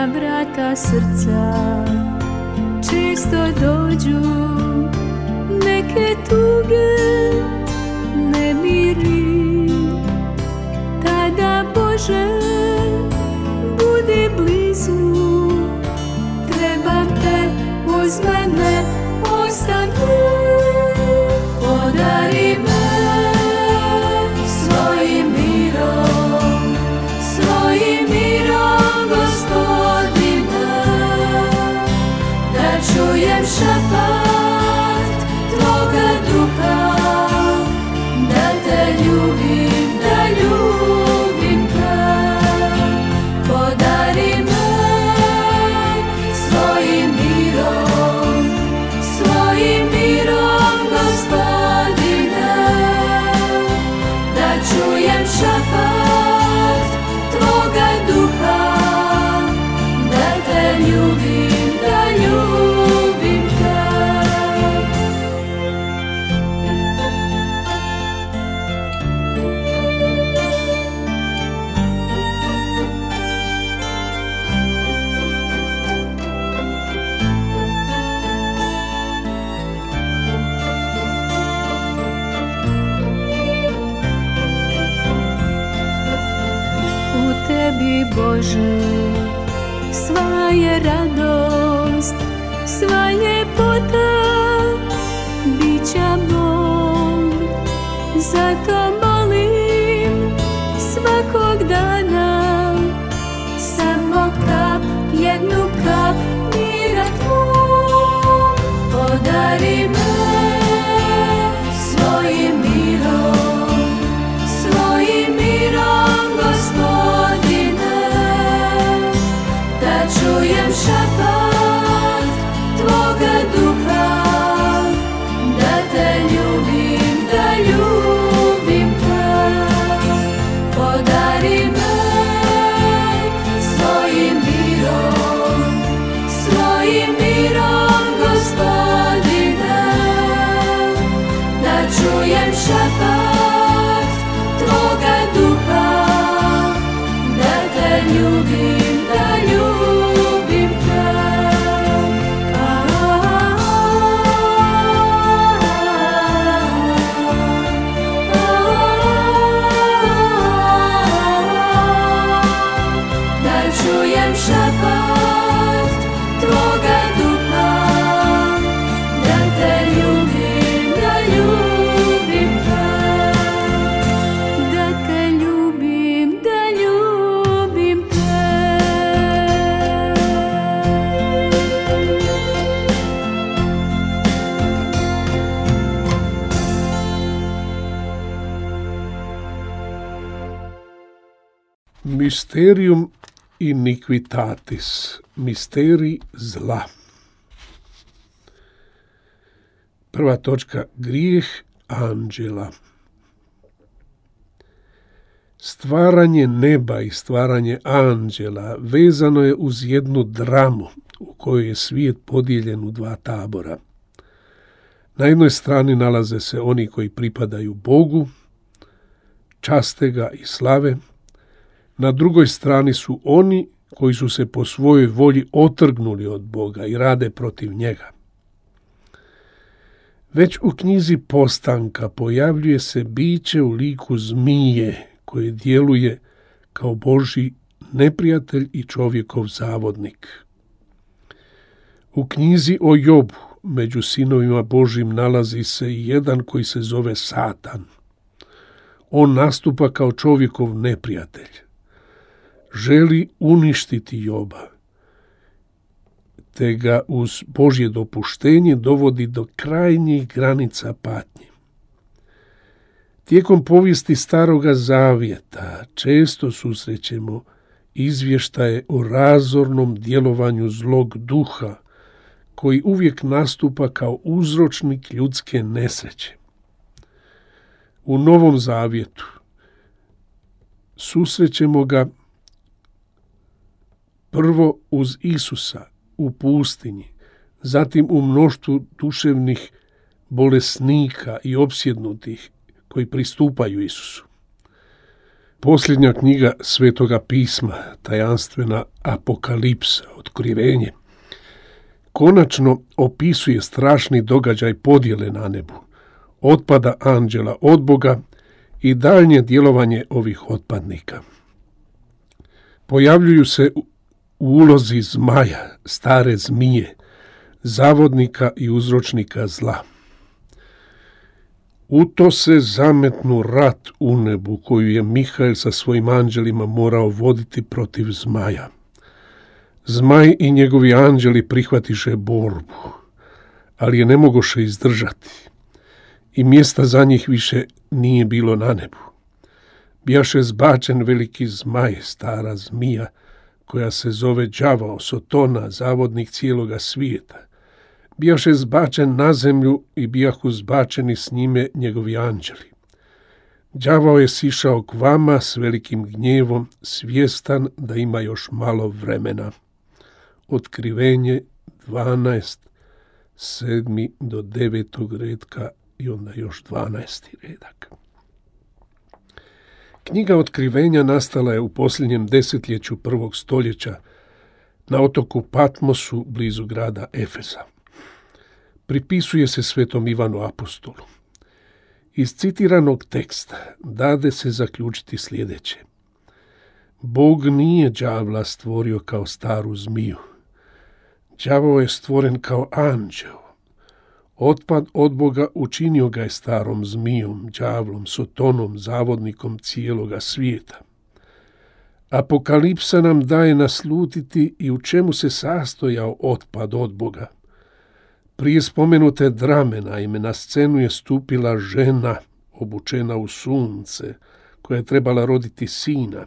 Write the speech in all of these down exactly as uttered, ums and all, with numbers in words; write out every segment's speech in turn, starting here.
na vrata srca često dođu neke tuge, nemiri. Tada, Bože, budi blizu, trebam te, uz mene ostan tu. Podari me svojim mirom, svojim mirom, Gospodine, da čujem šapat Tvoga duha, da te ljubim, da ljubim te. Podari me svojim mirom, svojim mirom, Gospodine, da čujem šapat Tvoga duha, da te ljubim, da ljubim te. U tebi, Bože, sva je radost, sva ljepota bića mog. Zato molim svakog dana samo kap, jednu kap mira tvog. Podari me svojim mirom, svojim mirom, Gospodine, da čujem šapat Tvoga duha, da te ljubim, da ljubim te. Podari me svojim mirom, svojim mirom, Gospodine, da čujem šapat Tvoga duha, da te ljubim, da ljubim te. Da čujem šapat Tvoga duha, da te ljubim, da ljubim te. Da te ljubim, da ljubim te. Mysterium iniquitatis, misterij zla. Prva točka, grijeh anđela. Stvaranje neba i stvaranje anđela vezano je uz jednu dramu u kojoj je svijet podijeljen u dva tabora. Na jednoj strani nalaze se oni koji pripadaju Bogu, časte ga i slave. Na drugoj strani su oni koji su se po svojoj volji otrgnuli od Boga i rade protiv njega. Već u knjizi Postanka pojavljuje se biće u liku zmije koje djeluje kao Božji neprijatelj i čovjekov zavodnik. U knjizi o Jobu među sinovima Božjim nalazi se i jedan koji se zove Satan. On nastupa kao čovjekov neprijatelj. Želi uništiti Joba, te ga uz Božje dopuštenje dovodi do krajnjih granica patnje. Tijekom povijesti Staroga Zavjeta često susrećemo izvještaje o razornom djelovanju zlog duha, koji uvijek nastupa kao uzročnik ljudske nesreće. U Novom Zavjetu susrećemo ga prvo uz Isusa u pustinji, zatim u mnoštvu duševnih bolesnika i opsjednutih koji pristupaju Isusu. Posljednja knjiga Svetoga pisma, tajanstvena Apokalipsa, otkrivenje, konačno opisuje strašni događaj podjele na nebu, otpada anđela od Boga i daljnje djelovanje ovih otpadnika. Pojavljuju se u ulozi zmaja, stare zmije, zavodnika i uzročnika zla. U to se zametnu rat u nebu koju je Mihael sa svojim anđelima morao voditi protiv zmaja. Zmaj i njegovi anđeli prihvatiše borbu, ali je ne mogoše izdržati i mjesta za njih više nije bilo na nebu. Bijaše zbačen veliki zmaj, stara zmija, koja se zove đavao, Sotona, zavodnik cijeloga svijeta. Bijaše zbačen na zemlju i bijahu zbačeni s njime njegovi anđeli. Đavao je sišao k vama s velikim gnjevom, svjestan da ima još malo vremena. Otkrivenje dvanaest, sedmi do devetog redka i onda još dvanaesti redak. Knjiga Otkrivenja nastala je u posljednjem desetljeću prvog stoljeća na otoku Patmosu blizu grada Efeza. Pripisuje se svetom Ivanu Apostolu. Iz citiranog teksta dade se zaključiti sljedeće. Bog nije đavla stvorio kao staru zmiju. Đavao je stvoren kao anđeo. Otpad od Boga učinio ga je starom zmijom, đavlom, Sotonom, zavodnikom cijeloga svijeta. Apokalipsa nam daje naslutiti i u čemu se sastojao otpad od Boga. Prije spomenute drame, naime, na scenu je stupila žena, obučena u sunce, koja je trebala roditi sina.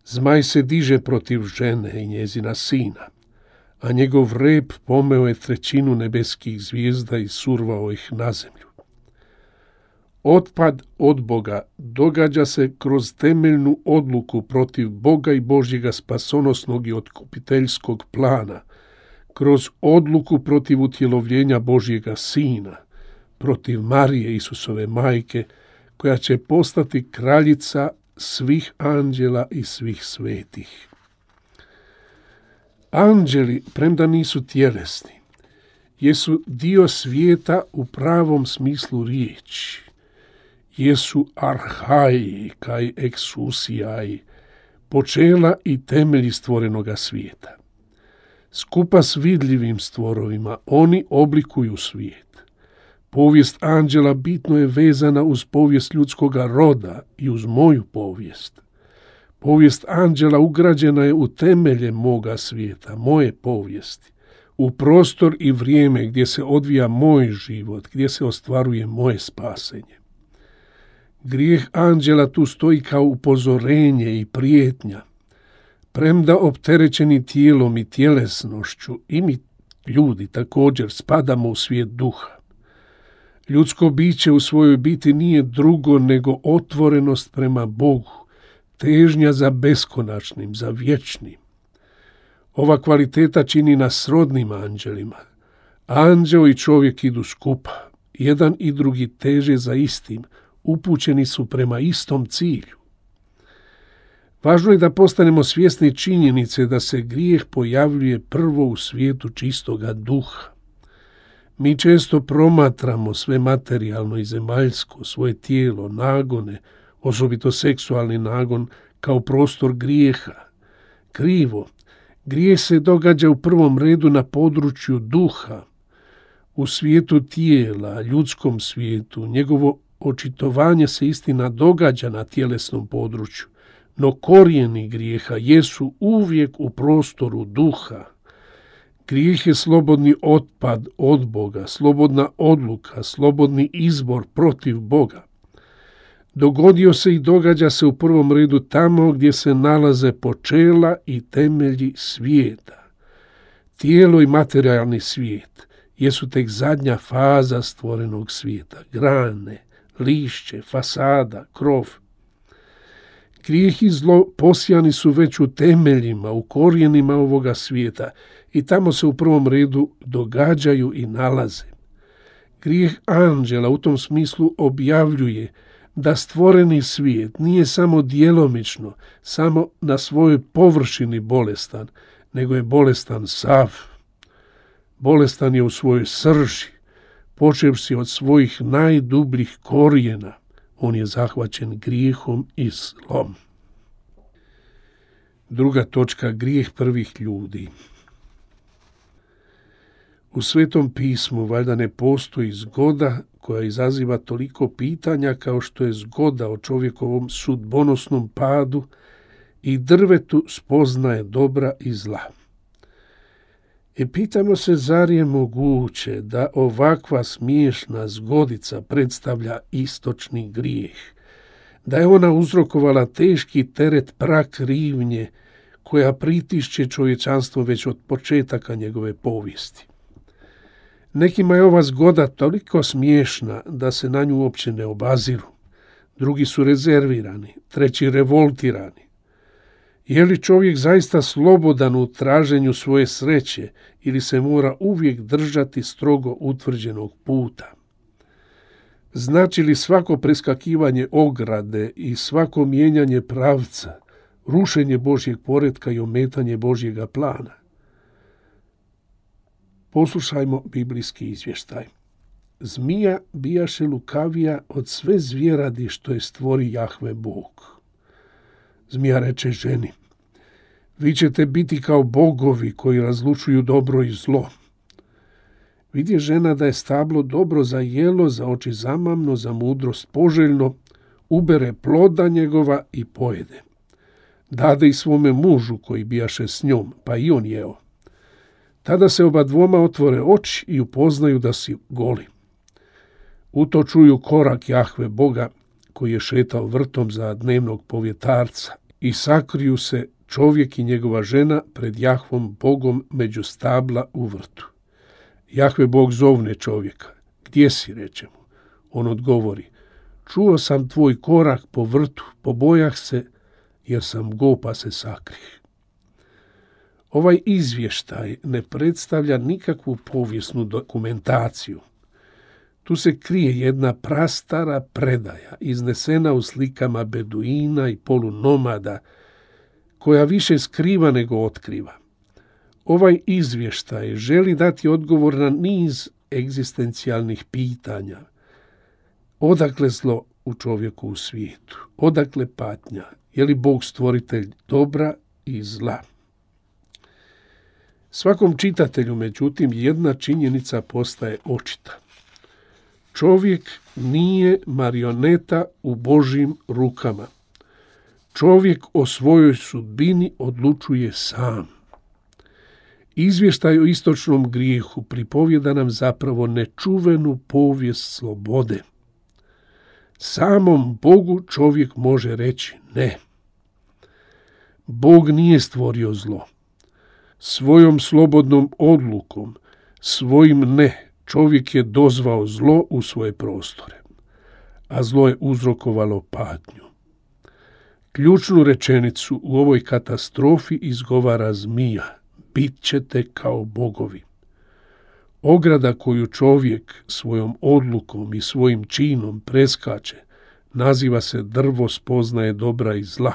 Zmaj se diže protiv žene i njezina sina, a njegov rep pomeo je trećinu nebeskih zvijezda i survao ih na zemlju. Otpad od Boga događa se kroz temeljnu odluku protiv Boga i Božjega spasonosnog i otkupiteljskog plana, kroz odluku protiv utjelovljenja Božjega Sina, protiv Marije, Isusove majke, koja će postati kraljica svih anđela i svih svetih. Anđeli, premda nisu tjelesni, jesu dio svijeta u pravom smislu riječi. Jesu arhaji, kaj exousiai, počela i temelji stvorenoga svijeta. Skupa s vidljivim stvorovima oni oblikuju svijet. Povijest anđela bitno je vezana uz povijest ljudskoga roda i uz moju povijest. Povijest anđela ugrađena je u temelje moga svijeta, moje povijesti, u prostor i vrijeme gdje se odvija moj život, gdje se ostvaruje moje spasenje. Grijeh anđela tu stoji kao upozorenje i prijetnja. Premda opterećeni tijelom i tjelesnošću, i mi ljudi također spadamo u svijet duha. Ljudsko biće u svojoj biti nije drugo nego otvorenost prema Bogu, težnja za beskonačnim, za vječnim. Ova kvaliteta čini nas srodnim anđelima. Anđeo i čovjek idu skupa, jedan i drugi teže za istim, upućeni su prema istom cilju. Važno je da postanemo svjesni činjenice da se grijeh pojavljuje prvo u svijetu čistoga duha. Mi često promatramo sve materijalno i zemaljsko, svoje tijelo, nagone, osobito seksualni nagon, kao prostor grijeha. Krivo, grijeh se događa u prvom redu na području duha, u svijetu tijela, ljudskom svijetu. Njegovo očitovanje se istina događa na tjelesnom području, no korijeni grijeha jesu uvijek u prostoru duha. Grijeh je slobodni otpad od Boga, slobodna odluka, slobodni izbor protiv Boga. Dogodio se i događa se u prvom redu tamo gdje se nalaze počela i temelji svijeta. Tijelo i materijalni svijet jesu tek zadnja faza stvorenog svijeta, grane, lišće, fasada, krov. Grijeh i zlo posijani su već u temeljima, u korijenima ovoga svijeta i tamo se u prvom redu događaju i nalaze. Grijeh anđela u tom smislu objavljuje da stvoreni svijet nije samo djelomično, samo na svojoj površini bolestan, nego je bolestan sav. Bolestan je u svojoj srži, počevši od svojih najdubljih korijena. On je zahvaćen grijehom i zlom. Druga točka, grijeh prvih ljudi. U Svetom pismu valjda ne postoji zgoda koja izaziva toliko pitanja kao što je zgoda o čovjekovom sudbonosnom padu i drvetu spoznaje dobra i zla. I pitamo se, zar je moguće da ovakva smiješna zgodica predstavlja istočni grijeh, da je ona uzrokovala teški teret prakrivnje koja pritišće čovječanstvo već od početaka njegove povijesti. Nekima je ova zgoda toliko smiješna da se na nju uopće ne obaziru. Drugi su rezervirani, treći revoltirani. Je li čovjek zaista slobodan u traženju svoje sreće ili se mora uvijek držati strogo utvrđenog puta? Znači li svako preskakivanje ograde i svako mijenjanje pravca, rušenje Božjeg poretka i ometanje Božjega plana? Poslušajmo biblijski izvještaj. Zmija bijaše lukavija od sve zvjeradi što je stvori Jahve Bog. Zmija reče ženi: vi ćete biti kao bogovi koji razlučuju dobro i zlo. Vidje žena da je stablo dobro za jelo, za oči zamamno, za mudrost poželjno, ubere ploda njegova i pojede. Dade i svome mužu koji bijaše s njom, pa i on jeo. Tada se oba dvoma otvore oči i upoznaju da si goli. U to čuju korak Jahve Boga koji je šetao vrtom za dnevnog povjetarca i sakriju se čovjek i njegova žena pred Jahvom Bogom među stabla u vrtu. Jahve Bog zovne čovjeka. Gdje si, reče mu? On odgovori: čuo sam tvoj korak po vrtu, pobojah se jer sam go pa se sakrih. Ovaj izvještaj ne predstavlja nikakvu povijesnu dokumentaciju. Tu se krije jedna prastara predaja, iznesena u slikama beduina i polunomada, koja više skriva nego otkriva. Ovaj izvještaj želi dati odgovor na niz egzistencijalnih pitanja. Odakle zlo u čovjeku u svijetu? Odakle patnja? Je li Bog stvoritelj dobra i zla? Svakom čitatelju, međutim, jedna činjenica postaje očita. Čovjek nije marioneta u Božjim rukama. Čovjek o svojoj sudbini odlučuje sam. Izvještaj o istočnom grijehu pripovjeda nam zapravo nečuvenu povijest slobode. Samom Bogu čovjek može reći ne. Bog nije stvorio zlo. Svojom slobodnom odlukom, svojim ne, čovjek je dozvao zlo u svoje prostore, a zlo je uzrokovalo patnju. Ključnu rečenicu u ovoj katastrofi izgovara zmija: bit ćete kao bogovi. Ograda koju čovjek svojom odlukom i svojim činom preskače naziva se drvo spoznaje dobra i zla.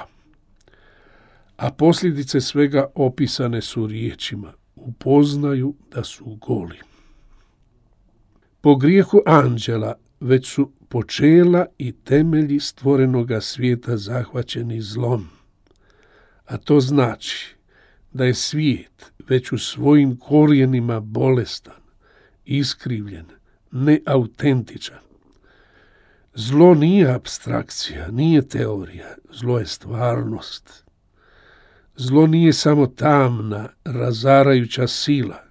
A posljedice svega opisane su riječima: upoznaju da su goli. Po grijehu anđela već su počela i temelji stvorenoga svijeta zahvaćeni zlom. A to znači da je svijet već u svojim korijenima bolestan, iskrivljen, neautentičan. Zlo nije apstrakcija, nije teorija, zlo je stvarnost. Zlo nije samo tamna, razarajuća sila.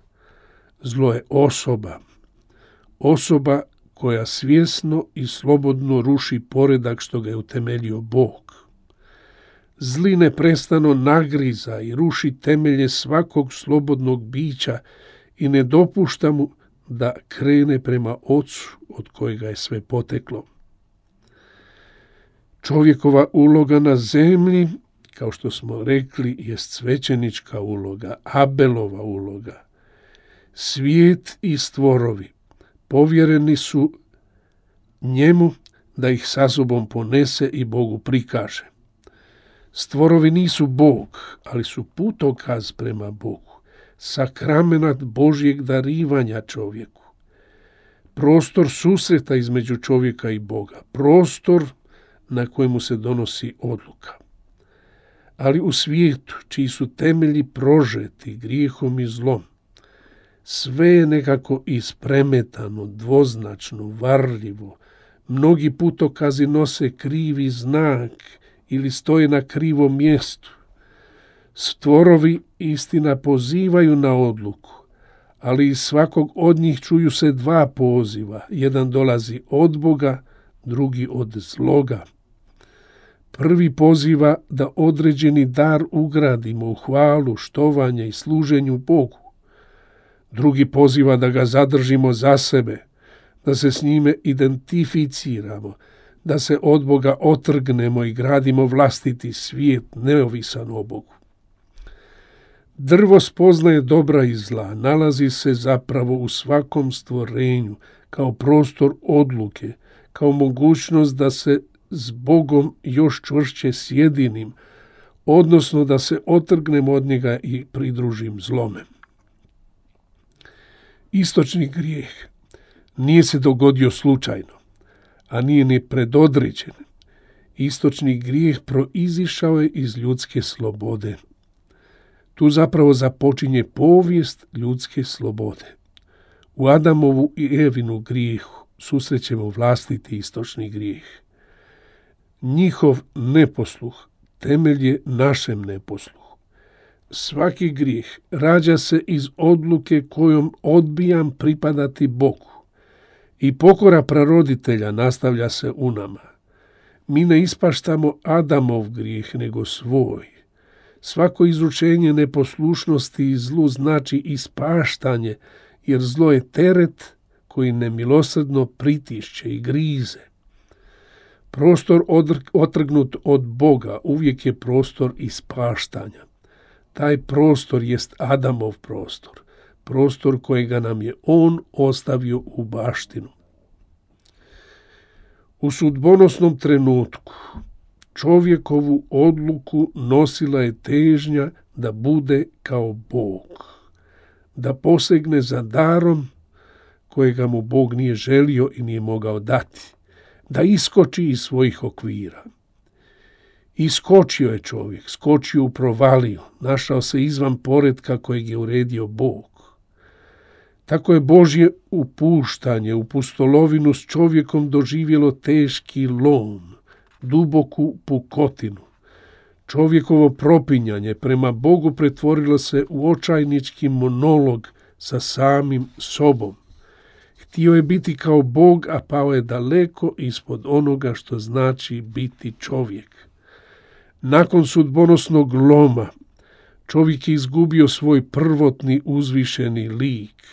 Zlo je osoba. Osoba koja svjesno i slobodno ruši poredak što ga je utemeljio Bog. Zli neprestano nagriza i ruši temelje svakog slobodnog bića i ne dopušta mu da krene prema Ocu od kojega je sve poteklo. Čovjekova uloga na zemlji, kao što smo rekli, je svećenička uloga, Abelova uloga. Svijet i stvorovi povjereni su njemu da ih sa sobom ponese i Bogu prikaže. Stvorovi nisu Bog, ali su putokaz prema Bogu, sakramenat Božjeg darivanja čovjeku. Prostor susreta između čovjeka i Boga, prostor na kojemu se donosi odluka. Ali u svijetu, čiji su temelji prožeti grijehom i zlom, sve je nekako ispremetano, dvoznačno, varljivo. Mnogi putokazi nose krivi znak ili stoje na krivom mjestu. Stvorovi, istina, pozivaju na odluku, ali iz svakog od njih čuju se dva poziva. Jedan dolazi od Boga, drugi od zloga. Prvi poziva da određeni dar ugradimo u hvalu, štovanje i služenju Bogu. Drugi poziva da ga zadržimo za sebe, da se s njime identificiramo, da se od Boga otrgnemo i gradimo vlastiti svijet neovisan o Bogu. Drvo spoznaje dobra i zla, nalazi se zapravo u svakom stvorenju, kao prostor odluke, kao mogućnost da se s Bogom još čvršće sjedinim, odnosno da se otrgnemo od njega i pridružim zlome. Istočni grijeh nije se dogodio slučajno, a nije ni predodređen. Istočni grijeh proizišao je iz ljudske slobode. Tu zapravo započinje povijest ljudske slobode. U Adamovu i Evinu grijehu susrećemo vlastiti istočni grijeh. Njihov neposluh temelj je našem neposluhu. Svaki grijeh rađa se iz odluke kojom odbijam pripadati Bogu. I pokora praroditelja nastavlja se u nama. Mi ne ispaštamo Adamov grijeh, nego svoj. Svako izručenje neposlušnosti i zlu znači ispaštanje, jer zlo je teret koji nemilosrdno pritišće i grize. Prostor otrgnut od Boga uvijek je prostor ispaštanja. Taj prostor jest Adamov prostor, prostor kojega nam je on ostavio u baštinu. U sudbonosnom trenutku čovjekovu odluku nosila je težnja da bude kao Bog, da posegne za darom kojega mu Bog nije želio i nije mogao dati, da iskoči iz svojih okvira. Iskočio je čovjek, skočio u provaliju, našao se izvan poretka kojeg je uredio Bog. Tako je Božje upuštanje u pustolovinu s čovjekom doživjelo teški lom, duboku pukotinu. Čovjekovo propinjanje prema Bogu pretvorilo se u očajnički monolog sa samim sobom. Htio je biti kao Bog, a pao je daleko ispod onoga što znači biti čovjek. Nakon sudbonosnog loma, čovjek je izgubio svoj prvotni uzvišeni lik.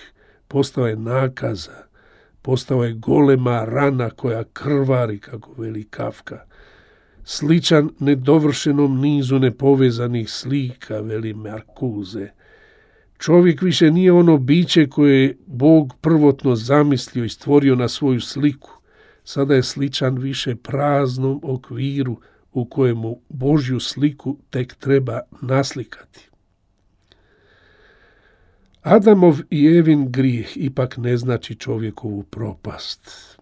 Postao je nakaza, postao je golema rana koja krvari, kako veli Kafka. Sličan nedovršenom nizu nepovezanih slika, veli Marcuse. Čovjek više nije ono biće koje je Bog prvotno zamislio i stvorio na svoju sliku. Sada je sličan više praznom okviru u kojemu Božju sliku tek treba naslikati. Adamov i Evin grijeh ipak ne znači čovjekovu propast.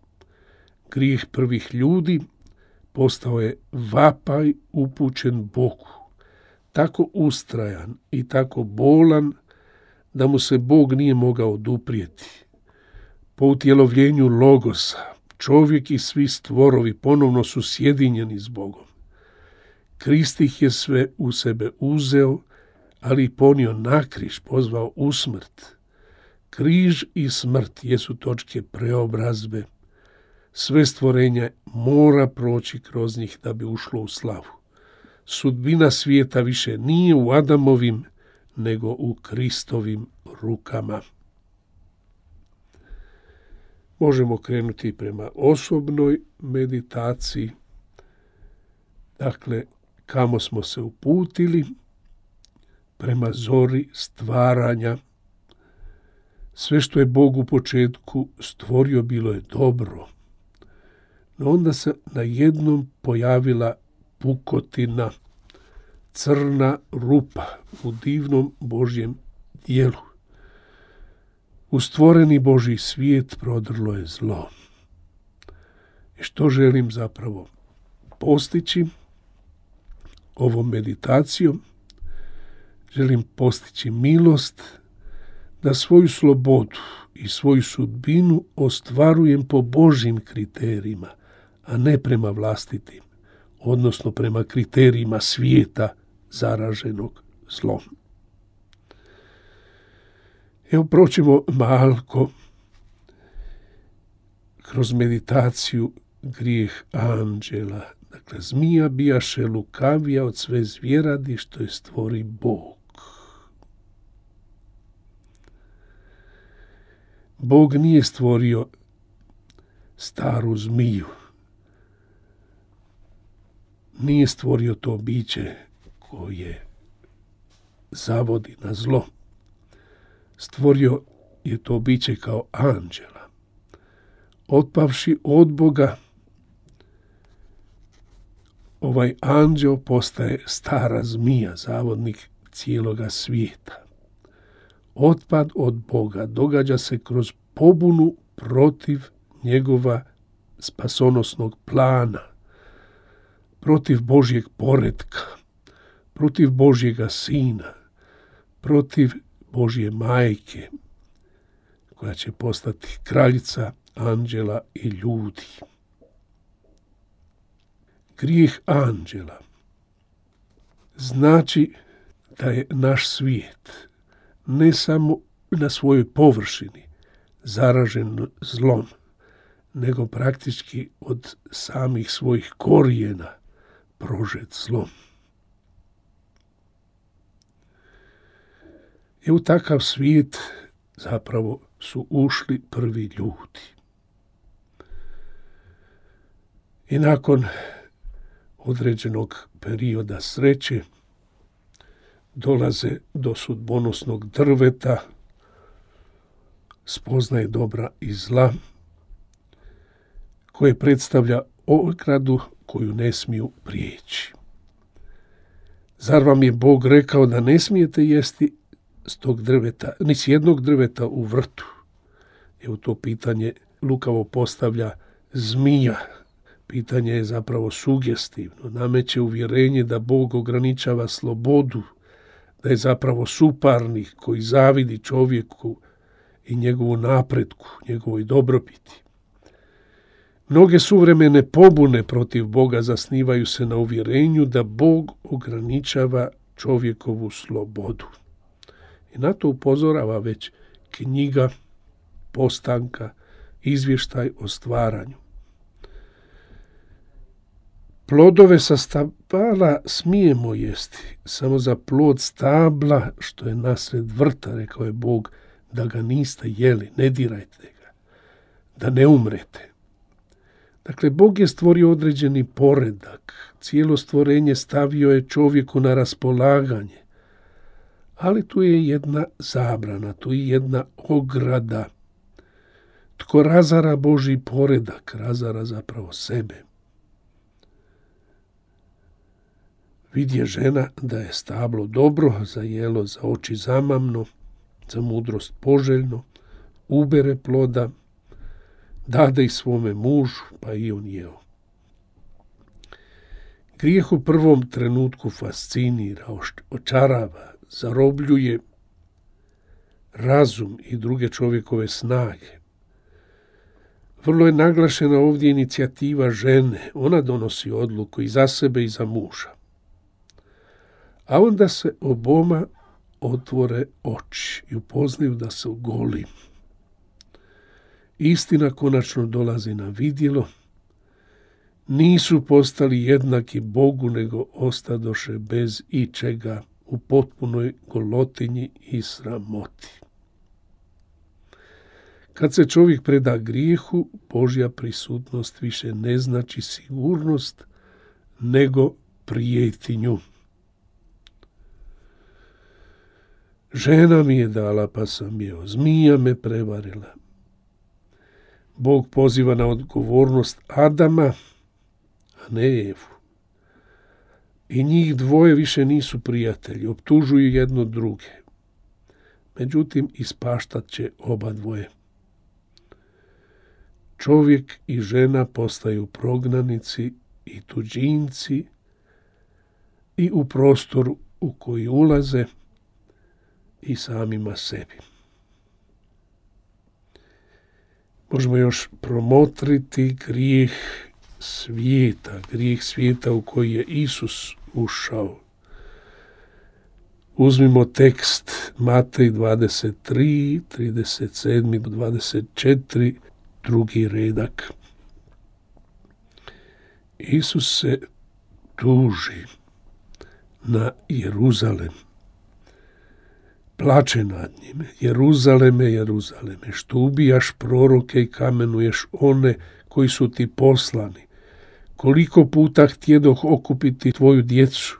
Grijeh prvih ljudi postao je vapaj upućen Bogu, tako ustrajan i tako bolan da mu se Bog nije mogao oduprijeti. Po utjelovljenju Logosa, čovjek i svi stvorovi ponovno su sjedinjeni s Bogom. Krist ih je sve u sebe uzeo, ali ponio na križ, pozvao u smrt. Križ i smrt jesu točke preobrazbe. Sve stvorenje mora proći kroz njih da bi ušlo u slavu. Sudbina svijeta više nije u Adamovim, nego u Kristovim rukama. Možemo krenuti prema osobnoj meditaciji. Dakle, kamo smo se uputili? Prema zori stvaranja. Sve što je Bog u početku stvorio bilo je dobro. No onda se najednom pojavila pukotina, crna rupa u divnom Božjem dijelu. U stvoreni Božji svijet prodrlo je zlo. I što želim zapravo postići ovom meditacijom? Želim postići milost da svoju slobodu i svoju sudbinu ostvarujem po Božjim kriterijima, a ne prema vlastitim, odnosno prema kriterijima svijeta zaraženog zlom. Evo proćemo malko kroz meditaciju grijeh anđela. Dakle, zmija bijaše lukavija od sve zvjeradi što je stvori Bog. Bog nije stvorio staru zmiju. Nije stvorio to biće koje zavodi na zlo. Stvorio je to biće kao anđela. Otpavši od Boga, ovaj anđeo postaje stara zmija, zavodnik cijeloga svijeta. Otpad od Boga događa se kroz pobunu protiv njegova spasonosnog plana, protiv Božjeg poretka, protiv Božjega sina, protiv Božje majke, koja će postati kraljica anđela i ljudi. Grijeh anđela znači da je naš svijet ne samo na svojoj površini zaražen zlom, nego praktički od samih svojih korijena prožet zlom. I u takav svijet zapravo su ušli prvi ljudi. I nakon određenog perioda sreće dolaze do sudbonosnog drveta, spoznaje dobra i zla, koje predstavlja ogradu koju ne smiju prijeći. Zar vam je Bog rekao da ne smijete jesti s tog drveta, ni s jednog drveta u vrtu? Evo to pitanje lukavo postavlja zmija. Pitanje je zapravo sugestivno. Nameće uvjerenje da Bog ograničava slobodu, da je zapravo suparnik koji zavidi čovjeku i njegovu napretku, njegovoj dobrobiti. Mnoge suvremene pobune protiv Boga zasnivaju se na uvjerenju da Bog ograničava čovjekovu slobodu. I na to upozorava već knjiga Postanka, izvještaj o stvaranju. Plodove sa stabala smijemo jesti, samo za plod stabla što je nasred vrta, rekao je Bog, da ga niste jeli, ne dirajte ga, da ne umrete. Dakle, Bog je stvorio određeni poredak, cijelo stvorenje stavio je čovjeku na raspolaganje, ali tu je jedna zabrana, tu je jedna ograda. Tko razara Božji poredak, razara zapravo sebe. Vidje žena da je stablo dobro, za jelo za oči zamamno, za mudrost poželjno, ubere ploda, dade i svome mužu, pa i on jeo. Grijeh u prvom trenutku fascinira, očarava, zarobljuje razum i druge čovjekove snage. Vrlo je naglašena ovdje inicijativa žene, ona donosi odluku i za sebe i za muža. A onda se oboma otvore oči i upoznaju da su goli. Istina konačno dolazi na vidjelo. Nisu postali jednaki Bogu, nego ostadoše bez ičega u potpunoj golotinji i sramoti. Kad se čovjek preda grijehu, Božja prisutnost više ne znači sigurnost, nego prijetinju. Žena mi je dala, pa sam jeo, zmija me prevarila. Bog poziva na odgovornost Adama, a ne Evu. I njih dvoje više nisu prijatelji, optužuju jedno druge. Međutim, ispaštat će oba dvoje. Čovjek i žena postaju prognanici i tuđinci i u prostoru u koji ulaze i samima sebi. Možemo još promotriti grijeh svijeta, grijeh svijeta u koji je Isus ušao. Uzmimo tekst Matej dvadeset tri, trideset sedam do dvadeset četiri, drugi redak. Isus se tuži na Jeruzalem. Plače nad njime. Jeruzaleme, Jeruzaleme, što ubijaš proroke i kamenuješ one koji su ti poslani. Koliko puta htjedoh okupiti tvoju djecu,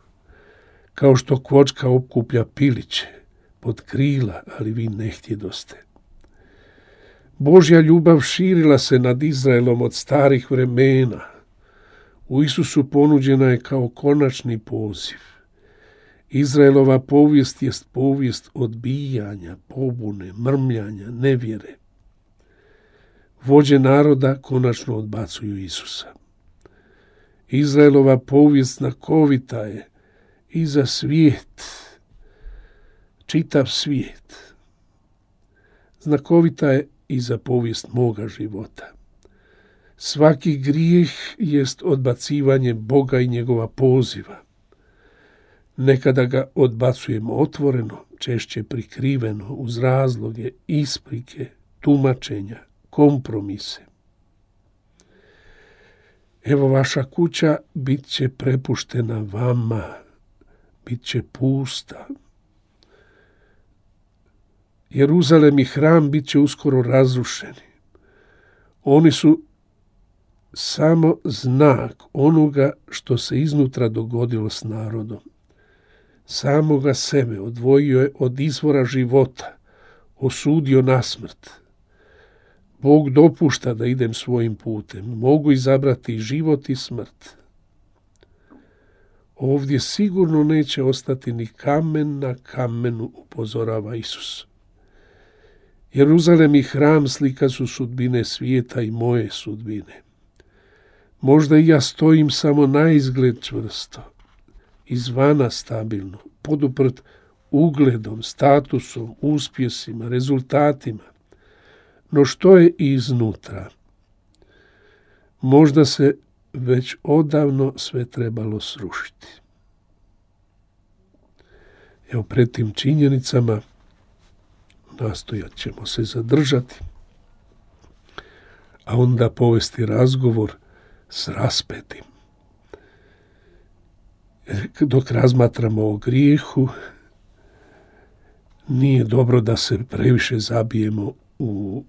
kao što kvočka okuplja piliće pod krila, ali vi ne htjedoste. Božja ljubav širila se nad Izraelom od starih vremena. U Isusu ponuđena je kao konačni poziv. Izraelova povijest jest povijest odbijanja, pobune, mrmljanja, nevjere. Vođe naroda konačno odbacuju Isusa. Izraelova povijest znakovita je i za svijet, čitav svijet. Znakovita je i za povijest moga života. Svaki grijeh jest odbacivanje Boga i njegova poziva. Nekada ga odbacujemo otvoreno, češće prikriveno, uz razloge, isprike, tumačenja, kompromise. Evo, vaša kuća bit će prepuštena vama, bit će pusta. Jeruzalem i hram bit će uskoro razrušeni. Oni su samo znak onoga što se iznutra dogodilo s narodom. Samoga sebe odvojio je od izvora života, osudio na smrt. Bog dopušta da idem svojim putem. Mogu izabrati život i smrt. Ovdje sigurno neće ostati ni kamen na kamenu, upozorava Isus. Jeruzalem i hram slika su sudbine svijeta i moje sudbine. Možda i ja stojim samo na izgled čvrsto, izvana stabilno, poduprt ugledom, statusom, uspjesima, rezultatima. No što je iznutra? Možda se već odavno sve trebalo srušiti. Evo, pred tim činjenicama nastojat ćemo se zadržati, a onda povesti razgovor s raspetim. Dok razmatramo o grijehu, nije dobro da se previše zabijemo u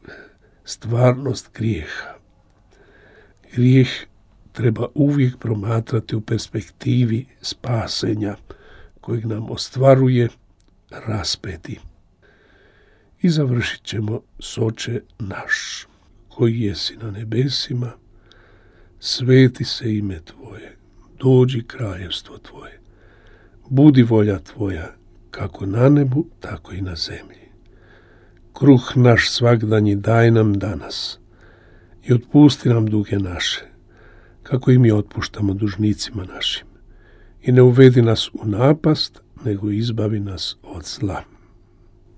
stvarnost grijeha. Grijeh treba uvijek promatrati u perspektivi spasenja kojeg nam ostvaruje raspeti. I završit ćemo s Oče naš, koji jesi na nebesima, sveti se ime Tvoje, dođi kraljevstvo Tvoje, budi volja Tvoja, kako na nebu, tako i na zemlji. Kruh naš svagdanji daj nam danas i otpusti nam duge naše, kako i mi otpuštamo dužnicima našim. I ne uvedi nas u napast, nego izbavi nas od zla.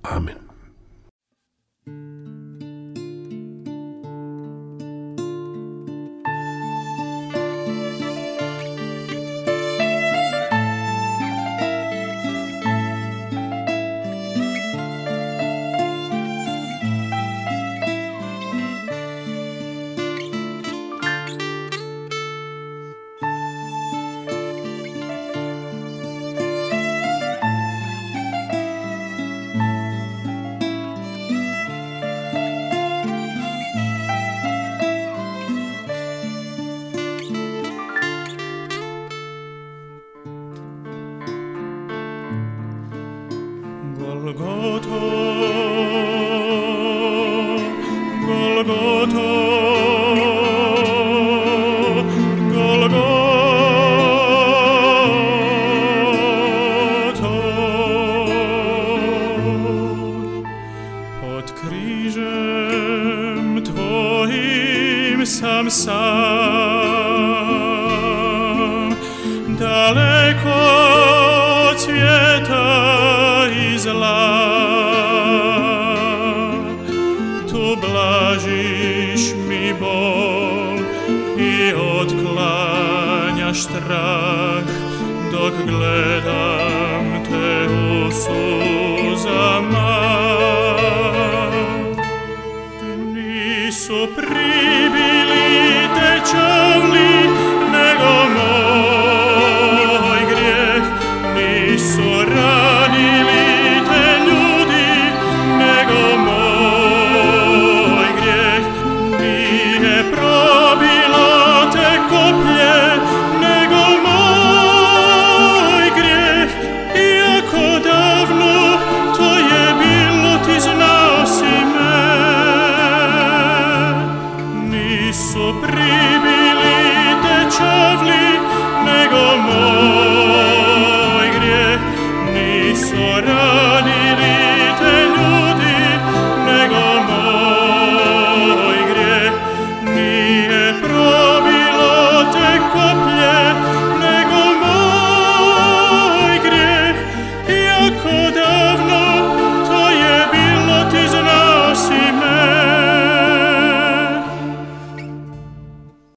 Amen. nisam sam, daleko od svijeta i zla. Tu blažiš mi bol i otklanjaš strah, dok gledam te u suzama. Nisu pribili te čavli, nego moj grijeh. Nisu ranili te ljudi, nego moj grijeh. Nije probilo te koplje, nego moj grijeh. Iako davno to je bilo, ti znao si me. Nisu pribili te čavli, nego moj grijeh. Nisu ranili